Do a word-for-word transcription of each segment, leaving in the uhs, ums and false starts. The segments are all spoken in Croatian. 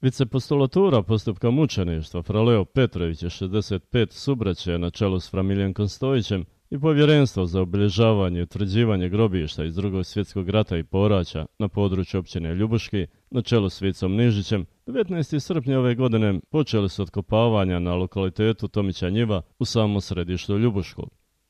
Vicepostulatura postupka mučeništva Fra Leo Petrović je šezdeset pet subraće na čelu s Fra Miljenkom Stojićem i povjerenstvo za obilježavanje i utvrđivanje grobišta iz drugog svjetskog rata i poraća na području općine Ljubuški na čelu s Vicom Nižićem devetnaestog srpnja ove godine počeli su otkopavanja na lokalitetu Tomića Njiva u samom središtu Ljubuškog.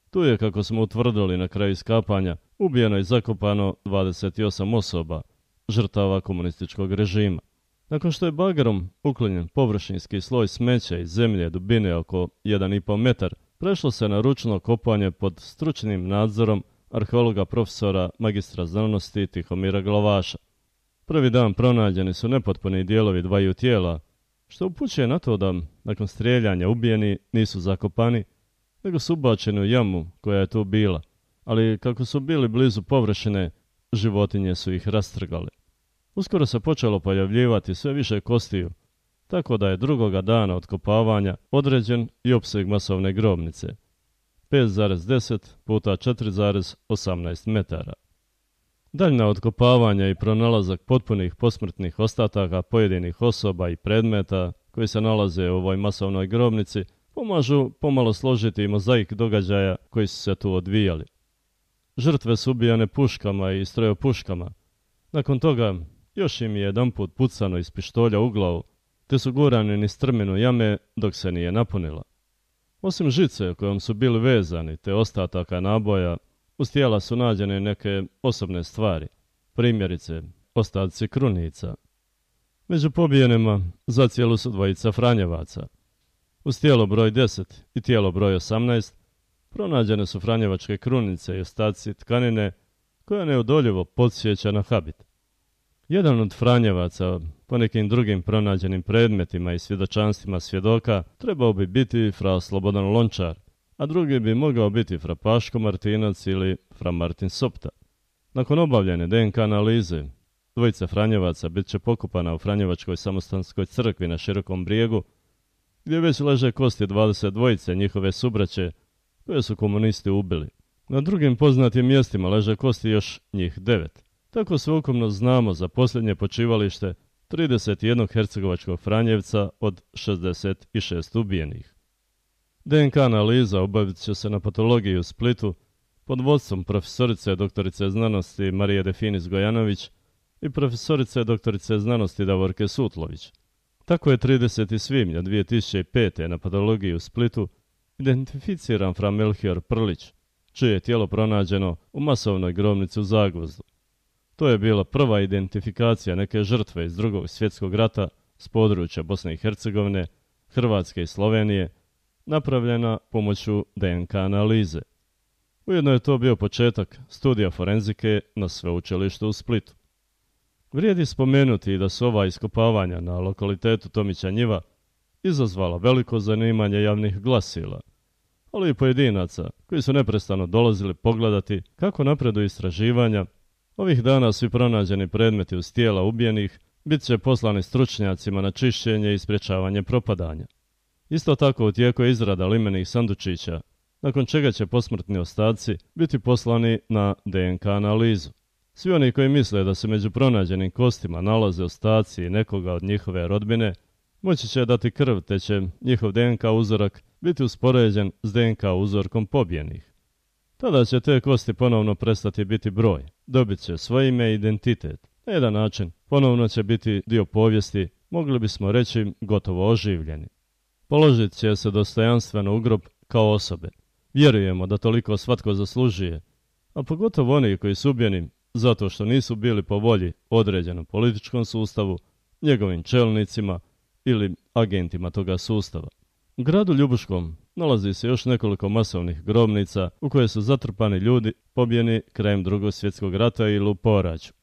Tu je, kako smo utvrdili na kraju iskapanja, ubijeno i zakopano dvadeset osam osoba, žrtava komunističkog režima. Nakon što je bagerom uklonjen površinski sloj smeća iz zemlje dubine oko jedan i pol metar, prešlo se na ručno kopanje pod stručnim nadzorom arheologa profesora magistra znanosti Tihomira Glavaša. Prvi dan pronađeni su nepotpuni dijelovi dvaju tijela, što upućuje na to da nakon strijeljanja ubijeni nisu zakopani, nego su ubačeni u jamu koja je tu bila, ali kako su bili blizu površine, životinje su ih rastrgali. Uskoro se počelo pojavljivati sve više kostiju, tako da je drugoga dana otkopavanja određen i opseg masovne grobnice, pet zarez deset puta četiri zarez osamnaest metara. Daljna otkopavanja i pronalazak potpunih posmrtnih ostataka pojedinih osoba i predmeta koji se nalaze u ovoj masovnoj grobnici pomažu pomalo složiti mozaik događaja koji su se tu odvijali. Žrtve su ubijane puškama i strojopuškama. Nakon toga još im je jedanput pucano iz pištolja u glavu, te su gurani niz strminu jame dok se nije napunila. Osim žice kojom su bili vezani te ostataka naboja, uz tijela su nađene neke osobne stvari, primjerice ostaci krunica. Među pobijenima zacijelu su dvojica Franjevaca. Uz tijelo broj deset i tijelo broj osamnaest pronađene su franjevačke krunice i ostaci tkanine koja neodoljivo podsjeća na habit. Jedan od Franjevaca, po nekim drugim pronađenim predmetima i svjedočanstvima svjedoka, trebao bi biti Fra Slobodan Lončar, a drugi bi mogao biti Fra Paško Martinac ili Fra Martin Sopta. Nakon obavljene de en ka analize, dvojica Franjevaca bit će pokopana u Franjevačkoj samostanskoj crkvi na Širokom brijegu, gdje već leže kosti dvadeset dvojice njihove subraće koje su komunisti ubili. Na drugim poznatim mjestima leže kosti još njih devet. Tako sveukupno znamo za posljednje počivalište trideset jedan hercegovačkog Franjevca od šezdeset šest ubijenih. de en ka analiza obavit će se na patologiji u Splitu pod vodstvom profesorice doktorice znanosti Marije Definis Gojanović i profesorice doktorice znanosti Davorke Sutlović. Tako je tridesetog svibnja dvije tisuće pete. na patologiji u Splitu identificiran Fra Melchior Prlić, čije je tijelo pronađeno u masovnoj grobnici u Zagvozdu. To je bila prva identifikacija neke žrtve iz drugog svjetskog rata s područja Bosne i Hercegovine, Hrvatske i Slovenije, napravljena pomoću de en ka analize. Ujedno je to bio početak studija forenzike na sveučilištu u Splitu. Vrijedi spomenuti da su ova iskopavanja na lokalitetu Tomića Njiva izazvala veliko zanimanje javnih glasila, ali i pojedinaca koji su neprestano dolazili pogledati kako napreduju istraživanja. Ovih dana svi pronađeni predmeti uz tijela ubijenih bit će poslani stručnjacima na čišćenje i sprječavanje propadanja. Isto tako u tijeku je izrada limenih sandučića, nakon čega će posmrtni ostaci biti poslani na de en ka analizu. Svi oni koji misle da se među pronađenim kostima nalaze ostaci nekoga od njihove rodbine, moći će dati krv, te će njihov de en ka uzorak biti uspoređen s de en ka uzorkom pobijenih. Tada će te kosti ponovno prestati biti broj, dobit će svoje ime i identitet. Na jedan način ponovno će biti dio povijesti, mogli bismo reći gotovo oživljeni. Položit će se dostojanstveno u grob kao osobe. Vjerujemo da toliko svatko zaslužuje, a pogotovo oni koji su ubijeni zato što nisu bili po volji određenom političkom sustavu, njegovim čelnicima ili agentima toga sustava. U gradu Ljubuškom nalazi se još nekoliko masovnih grobnica u koje su zatrpani ljudi pobijeni krajem drugog svjetskog rata ili u poraću.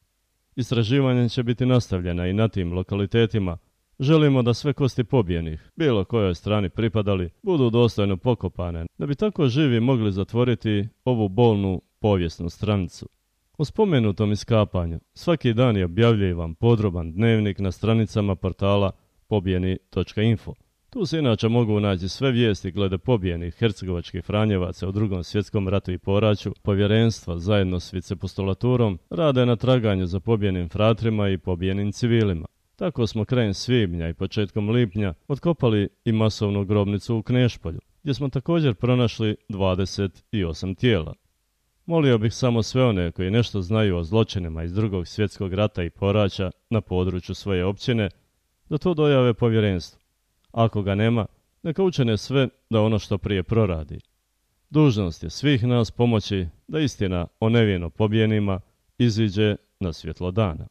Istraživanje će biti nastavljena i na tim lokalitetima. Želimo da sve kosti pobijenih, bilo kojoj strani pripadali, budu dostojno pokopane, da bi tako živi mogli zatvoriti ovu bolnu povijesnu stranicu. O spomenutom iskapanju svaki dan je objavljivan podroban dnevnik na stranicama portala pobijeni točka info. Tu se inače mogu naći sve vijesti glede pobijenih hercegovačkih Franjevaca u drugom svjetskom ratu i poraću. Povjerenstva zajedno s vicepostulaturom rade na traganju za pobijenim fratrima i pobijenim civilima. Tako smo krajem svibnja i početkom lipnja otkopali i masovnu grobnicu u Knešpolju, gdje smo također pronašli dvadeset osam tijela. Molio bih samo sve one koji nešto znaju o zločinima iz Drugog svjetskog rata i poraća na području svoje općine, da to dojave povjerenstvu. Ako ga nema, neka učine sve da ono što prije proradi. Dužnost je svih nas pomoći da istina o nevino pobijenima iziđe na svjetlo dana.